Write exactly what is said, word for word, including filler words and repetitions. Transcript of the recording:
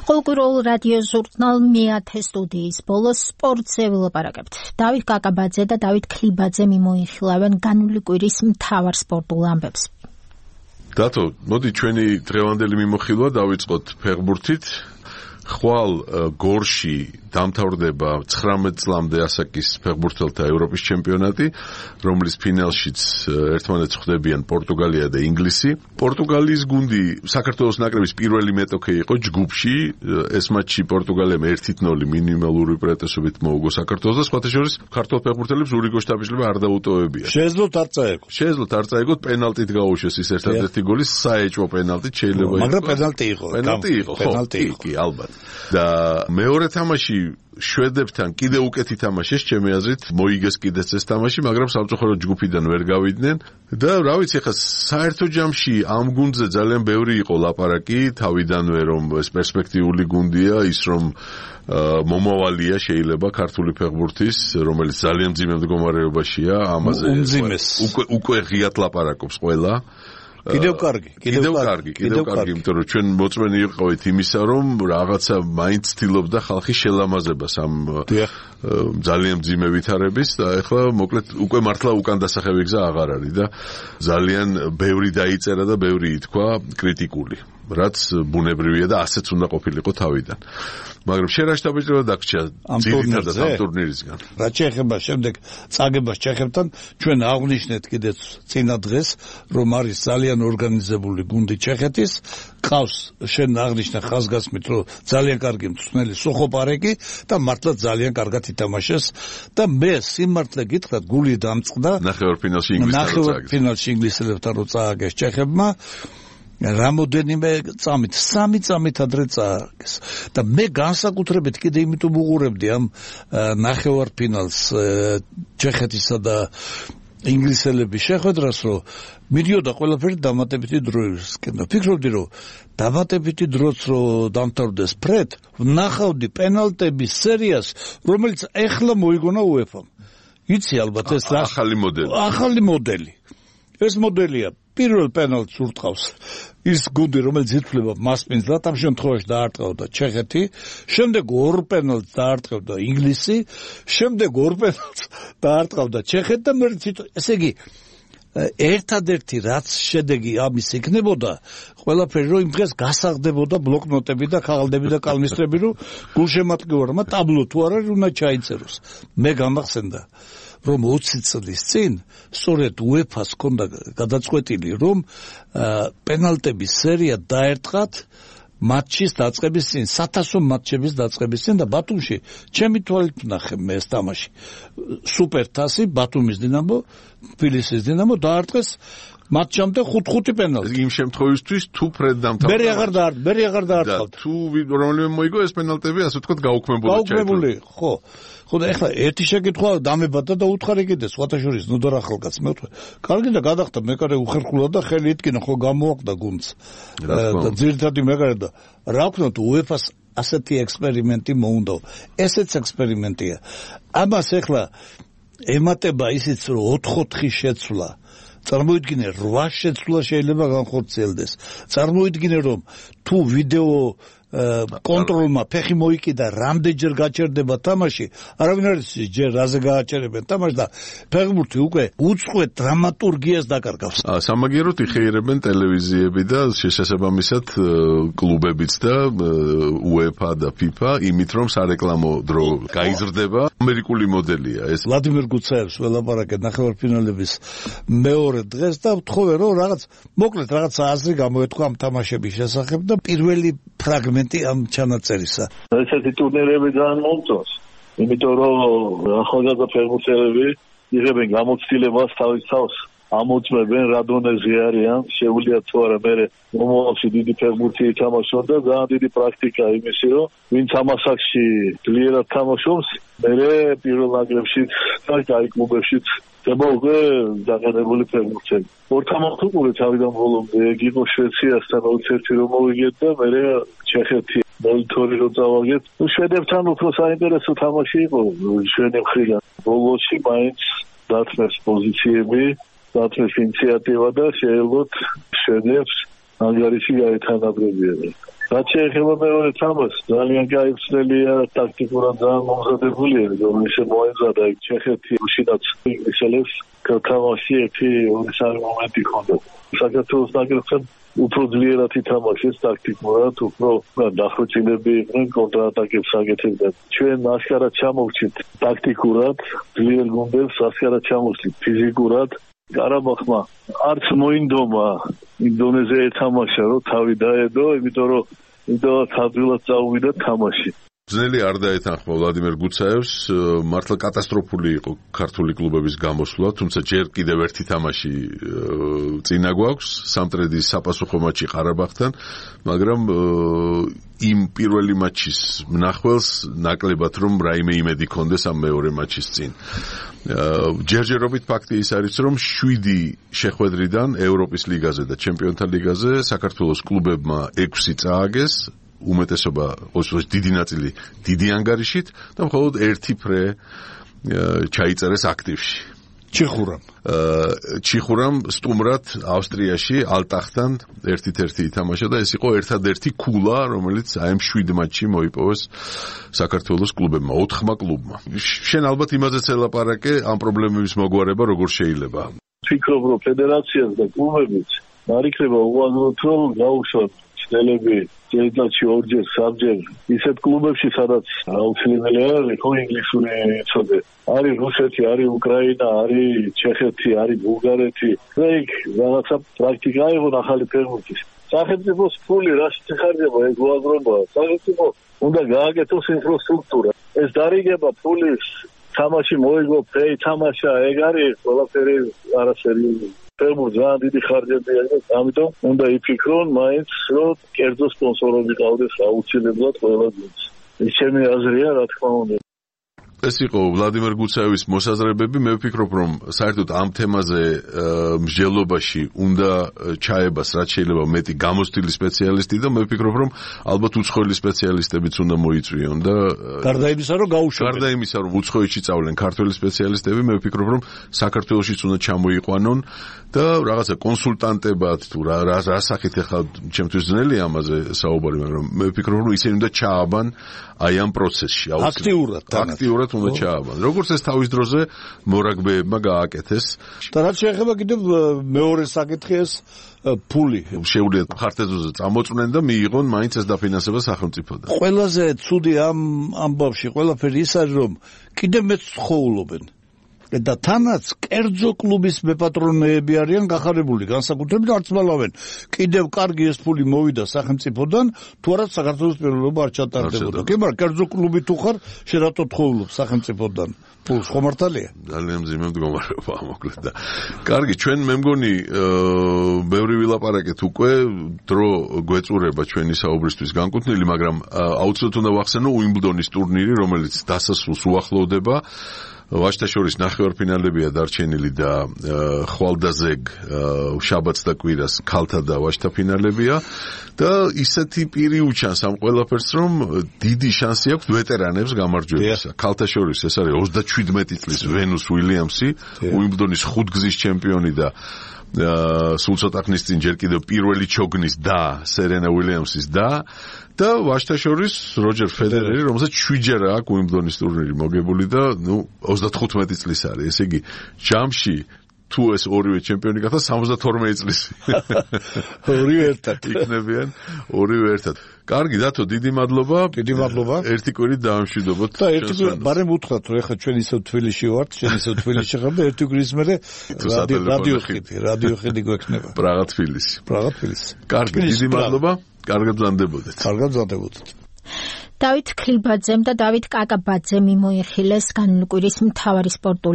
Ყოველკვირეულ რადიო ჟურნალ მეათე სტუდიის ბოლოს სპორტზე ვილაპარაკებთ. დავით კაკაბაძე და დავით ქლიბაძე მიმოიხილავენ განული კვირის მთავარ სპორტულ ამბებს. დათო, მოდი ჩვენი დღევანდელი მიმოხილვა დავიწყოთ ფეხბურთით. ხვალ გორში დამთავრდება ცხრამეტ წლამდე ასაკის ფეხბურთელთა ევროპის ჩემპიონატი, რომლის ფინალშიც ერთმანეთს ხვდებიან პორტუგალია და ინგლისი. პორტუგალიის გუნდი საქართველოს ნაკრების პირველი მეტოქე იყო ჯგუფში. ეს მატჩი პორტუგალიამ ერთი ნული მინიმალური უპირატესობით მოუგო საქართველოს და სხვათა შორის ქართველ ფეხბურთელებს ურიგო შთაბეჭდილება არ დაუტოვებია. შეეძლოთ არ წაეგოთ. შეეძლოთ არ წაეგოთ, პენალტით გაუშვეს ის ერთადერთი გოლი, საეჭვო პენალტით შეიძლება მაგრამ პენალტი იყო. პენალტი იყო, პენალტი იყო. კი, ალბათ. და მეორე თამაში შვედებთან კიდე უკეთი თამაშეს, ჩემი აზრით, მოიგეს კიდეც ეს თამაში, მაგრამ სამწუხაროდ ჯგუფიდან ვერ გავიდნენ და რა ვიცი, ხა საერთო ჯამში ამ გუნდზე ძალიან ბევრი იყო ლაპარაკი, თავიდანვე რომ ეს პერსპექტიული გუნდია, ის რომ მომავალია შეიძლება ქართული ფეხბურთის, რომელიც ძალიან მძიმე მდგომარეობაშია, ამაზე უკვე უკვე ღიად ლაპარაკობს ყველა. კიდევ კარგი, კიდევ კარგი, კიდევ კარგი, იმიტომ რომ ჩვენ მოწმენი ვიყავით იმისა, რომ რაღაცა მაინც ცდილობდა ხალხი შელამაზებას ამ ძალიან მძიმე ვითარების და ეხლა მოკლედ უკვე მართლა უკან დასახევი გზა აღარ არის და ძალიან ბევრი დაიწერა და ბევრი ითქვა კრიტიკული, რაც ბუნებრივია და ასეც უნდა ყოფილიყო თავიდან. მაგრამ შენ რა შთაბეჭდილება დაგჭირა ძირითადად ამ ტურნირისგან? რაც შეეხება შემდეგ წაგებას ჩეხებთან, ჩვენ აღვნიშნეთ კიდეც წინა დღეს, რომ არის ძალიან ორგანიზებული გუნდი ჩეხეთის, ყავს შენ აღნიშნა ხაზგასმით, რომ ძალიან კარგი მწვრთნელი სოხოპარეკი და მართლა ძალიან კარგად ითამაშეს და მე სიმართლე გითხრათ, გული დამწყდა ნახევარფინალში ინგლისთან ნახევარფინალში ინგლისელებთან რო წააგეს ჩეხებმა რამოდენიმე წამით, სამი წამით ადრე წააგეს და მე განსაკუთრებით კიდე იმიტომ უყურებდი ამ ნახევარფინალს ჩეხეთისა და ინგლისელების შეხვედრას, რომ მიდიოდა ყველაფერი დამატებითი დროისკენ და ფიქრობდი, რომ დამატებითი დროც რო დამთავრდეს ფრედ, ვნახავდი პენალტების სერიას, რომელიც ეხლა მოიგონა უეფამ. იცი ალბათ ეს რა ახალი მოდელი. ახალი მოდელი. ეს მოდელია პირველ პენალტს ურტყავს ის გუნდი, რომელიც ითვლება მასპინძლად, ამ შემთხვევაში დაარტყავდა ჩეხეთი, შემდეგ ორ პენალტს დაარტყავდა ინგლისი, შემდეგ ორ პენალტს დაარტყავდა ჩეხეთი და მე ესე იგი ერთადერთი რაც შედეგი ამის იქნებოდა, ყველაფერი რომ იმ დღეს გასაღდებოდა ბლოკნოტები და ქაღალდები და კალმისტრები, რომ გულშემატკივარმა ტაბლო თუ არ არის უნდა ჩაიწეროს. მე გამახსენდა რომ ოცი წლის წინ სწორედ უეფას ჰქონდა გადაწყვეტილი, რომ პენალტების სერია დაერტყათ მატჩის დაწყების წინ, საათასო მატჩების დაწყების წინ და ბათუმში ჩემი თვალით ვნახე მე ეს თამაში. სუპერთასი ბათუმის დინამო, თბილისის დინამო დაარტყეს მატჩამდე ხუთ-ხუთი პენალტი. იმ შემთხვევისთვის თუ ფრედ დამთავრდა. მე აღარ დაარტყ, მე აღარ დაარტყავდა. თუ რომელიმე მოიგო ეს პენალტები, ასე ვთქვათ, გაუქმებულა ჩაითვალა. გაუქმებული, ხო. ხო და ეხლა ერთი შეკითხვა დამებადა და უთხარი კიდე სხვათა შორის ნოდარ ახალკაც მე ვთქვი. კარგი და გადახდა მეკარე უხერხულა და ხელი იტკინა, ხო გამოაყდა გუნდს. და ძირითადი მეკარე და რა ვქნათ უეფას ასეთი ექსპერიმენტი მოუნდა. ესეც ექსპერიმენტია. ამას ეხლა ემატება ისიც რომ ოთხ-ოთხი შეცვლა. წარმოიდგინე რვა შეცვლა შეიძლება განხორციელდეს. წარმოიდგინე რომ თუ ვიდეო კონტროლმა ფეხი მოიკიდა, რამდენჯერ გაჩერდება თამაში, არავინ არ იცის ჯერ რაზე გააჩერებენ თამაშს და ფეხბურთი უკვე უწყვეტ დრამატურგიას დაკარგავს. სამაგიეროდ იხეირებენ ტელევიზიები და შესაბამისად კლუბებიც და უეფა და ფიფა იმით რომ სარეკლამო დრო გაიზრდება. ამერიკული მოდელია ეს. ვლადიმერ გუცაევს ველაპარაკეთ ნახევარფინალების მეორე დღეს და ვთხოვე რომ რაღაც მოკლედ რაღაც აზრი გამოეთქვა ამ თამაშების შესახებ და პირველი ფრაგმენტი ამ ჩანაწერისა. ესეთი ტურნირები ძალიან მომწონს, იმიტომ რომ ახალგაზრდა ფეხბურთელები იღებენ გამოცდილებას თავის თავს, ამოწმებენ რა დონეზე არიან, შეუძლია თუ არა მე მომავალში დიდი ფეხბურთი ითამაშონ და ძალიან დიდი პრაქტიკა იმისი, რომ ვინც ამ ასაკში ძლიერად თამაშობს, მე პირველ ნაკრებშიც და კაი კლუბებშიც ხდება უკვე დაგანებული ფეხბურთელი. ორთამართ უყურე თავიდან ბოლომდე, ეგ იყო შვეიცარიასთან ოცი ერთი რომ მოვიგეთ და მე ჩეხეთი მოლითორი რო წავაგეთ. ნუ შვედებთან უფრო საინტერესო თამაში იყო ჩვენი მხრიდან. ბოლოში მაინც დათმეს პოზიციები, დათმეს ინიციატივა და შეეძლოთ შვედებს ანგარიში გაეთანაბრებიან. რაც შეეხება მეორე თამაშს, ძალიან კაი ცდელია, ტაქტიკურად ძალიან მომზადებულია, რომ ისე მოეზადა იქ ჩეხეთი, უშინაც ინგლისელებს თამაში ერთი ორი სამი მომენტი ჰქონდა. საქართველოს ნაკრებთან უფრო ძლიერად ითამაშეს ტაქტიკურად, უფრო დახვეწილები იყვნენ, კონტრატაკებს აკეთებდნენ. ჩვენ ასკარად ჩამოვჭით ტაქტიკურად, ძლიერ გუნდებს ასკარად ჩამოვჭით ფიზიკურად. ყარაბაღმა არც მოინდომა ინდონეზია ეთამაშა, რომ თავი დაედო, იმიტომ რომ იმდენად თავდილად წაუვიდა თამაში. ძნელი არ დაეთანხმა ვლადიმერ გუცაევს, მართლა კატასტროფული იყო ქართული კლუბების გამოსვლა, თუმცა ჯერ კიდევ ერთი თამაში წინა გვაქვს, სამტრედის საპასუხო მატჩი ყარაბაღთან, მაგრამ იმ პირველი მატჩის მნახველს ნაკლებად რომ რაიმე იმედი ქონდეს ამ მეორე მატჩის წინ. ჯერჯერობით ფაქტი ის არის, რომ შვიდი შეხვედრიდან ევროპის ლიგაზე და ჩემპიონთა ლიგაზე საქართველოს კლუბებმა ექვსი წააგეს, უმეტესობა ოსოს დიდი ნაწილი დიდი ანგარიშით და მხოლოდ ერთი ფრე ჩაიწერეს აქტივში. ჩიხურამ. ჩიხურამ სტუმრად ავსტრიაში ალტახთან ერთ-ერთი ითამაშა და ეს იყო ერთადერთი ქულა, რომელიც აი ამ შვიდ მატჩში მოიპოვეს საქართველოს კლუბებმა, ოთხმა კლუბმა. შენ ალბათ იმაზეც ელაპარაკე, ამ პრობლემების მოგვარება როგორ შეიძლება? ვფიქრობ, რომ ფედერაციას და კლუბებიც არ იქნება უაზროდ რომ გაუშვათ ცდელები წელიწადში ორჯერ, სამჯერ ისეთ კლუბებში, სადაც აუცილებელი არის ხო ინგლისური იცოდე. არის რუსეთი, არის უკრაინა, არის ჩეხეთი, არის ბულგარეთი. და იქ რაღაცა პრაქტიკა იყო ახალი ფეხბურთის. სახელმწიფოს ფული რაშიც იხარჯება ეს უაზრობაა. სახელმწიფო უნდა გააკეთოს ინფრასტრუქტურა. ეს დარიგება ფულის თამაში მოიგო, ფეი თამაშა, ეგ არის ყველაფერი არასერიოზული. ფეხბურთი ძალიან დიდი ხარჯებია და ამიტომ უნდა იფიქრონ მაინც რომ კერძო სპონსორები ყავდეს აუცილებლად ყველა გუნდს. ეს ჩემი აზრია, რა თქმა უნდა. ეს იყო ვლადიმერ გუცაევის მოსაზრებები. მე ვფიქრობ, რომ საერთოდ ამ თემაზე მსჯელობაში უნდა ჩაებას რაც შეიძლება მეტი გამოცდილი სპეციალისტი და მე ვფიქრობ, რომ ალბათ უცხოელი სპეციალისტებიც უნდა მოიწვიონ და გარდა იმისა, რომ გაუშვებენ. გარდა იმისა, რომ უცხოეთში წავლენ ქართველი სპეციალისტები, მე ვფიქრობ, რომ საქართველოშიც უნდა ჩამოიყვანონ და რაღაცა კონსულტანტებად თუ რა რა სახით ახლა ჩემთვის ძნელი ამაზე საუბარი, მაგრამ მე ვფიქრობ, რომ ისინი უნდა ჩააბან აი ამ პროცესში აქტიურად აქტიურად უნდა ჩააბან. როგორც ეს თავის დროზე მორაგბეებმა გააკეთეს. და რაც შეეხება კიდევ მეორე საკითხი ეს ფული შეუძლიათ ხარდეზოზე წამოწმნენ და მიიღონ მაინც ეს დაფინანსება სახელმწიფოდან. ყველაზე ცუდი ამ ამბავში ყველაფერი ის არის, რომ კიდევ მეც ცხოვრობენ. და თანაც კერძო კლუბის მეპატრონეები არიან გახარებული, განსაკუთრებით არც მალავენ. კიდევ კარგი ეს ფული მოვიდა სახელმწიფოდან, თუ არა საქართველოს პირველობა არ ჩატარდებოდა. კი, მაგრამ კერძო კლუბი თუ ხარ, შენ რატო თხოვლობ სახელმწიფოდან? ფულს ხომ მართალია? ძალიან მძიმე მდგომარეობაა მოკლედ და კარგი, ჩვენ მე მგონი ბევრი ვილაპარაკეთ უკვე, დრო გვეწურება ჩვენი საუბრისთვის განკუთვნილი, მაგრამ აუცილებლად უნდა ვახსენო უიმბლდონის ტურნირი, რომელიც დასასრულს უახლოვდება. ვაჟთა-შორის ნახევარფინალებია დარჩენილი და ხვალდაზეგ შაბათს და კვირას ქალთა და ვაჟთა ფინალებია და ისეთი პირი უჩანს ამ ყველაფერს, რომ დიდი შანსი აქვს ვეტერანებს გამარჯვებისა. ქალთა-შორის ეს არის ოცდაშვიდმეტი წლის ვენუს უილიამსი, უიმბლდონის ხუთგზის ჩემპიონი და სულ ცოტა ხნის წინ ჯერ კიდევ პირველი ჩოგნის და სერენა უილიამსის და და ვაჟთა-შორის როჯერ ფედერერი, რომელსაც შვიდჯერ აქვს უიმბლდონის ტურნირი მოგებული და ნუ ოცდათოთხმეტი წლის არის. ესე იგი, ჯამში თუ ეს ორივე ჩემპიონი გახდა სამოცდათორმეტი წლის. ორივე ერთად იქნებიან, ორივე ერთად. კარგი, დათო, დიდი მადლობა. დიდი მადლობა. ერთი კვირით დაამშვიდობოთ. და ერთი კვირით, ბარემ უთხრათ, რომ ეხლა ჩვენ ისევ თბილისში ვართ, შენ ისევ თბილისში ხარ და ერთი კვირის მერე რადიო ხედი, რადიო ხედი გვექნება. პრაღა თბილისი. პრაღა თბილისი. კარგი, დიდი მადლობა. კარგად გზანდებოდეთ. კარგად გზანდებოდეთ. დავით ქლიბაძემ და დავით კაკაბაძემ მიმოიხილეს განვლკვირის მთავარი სპორტული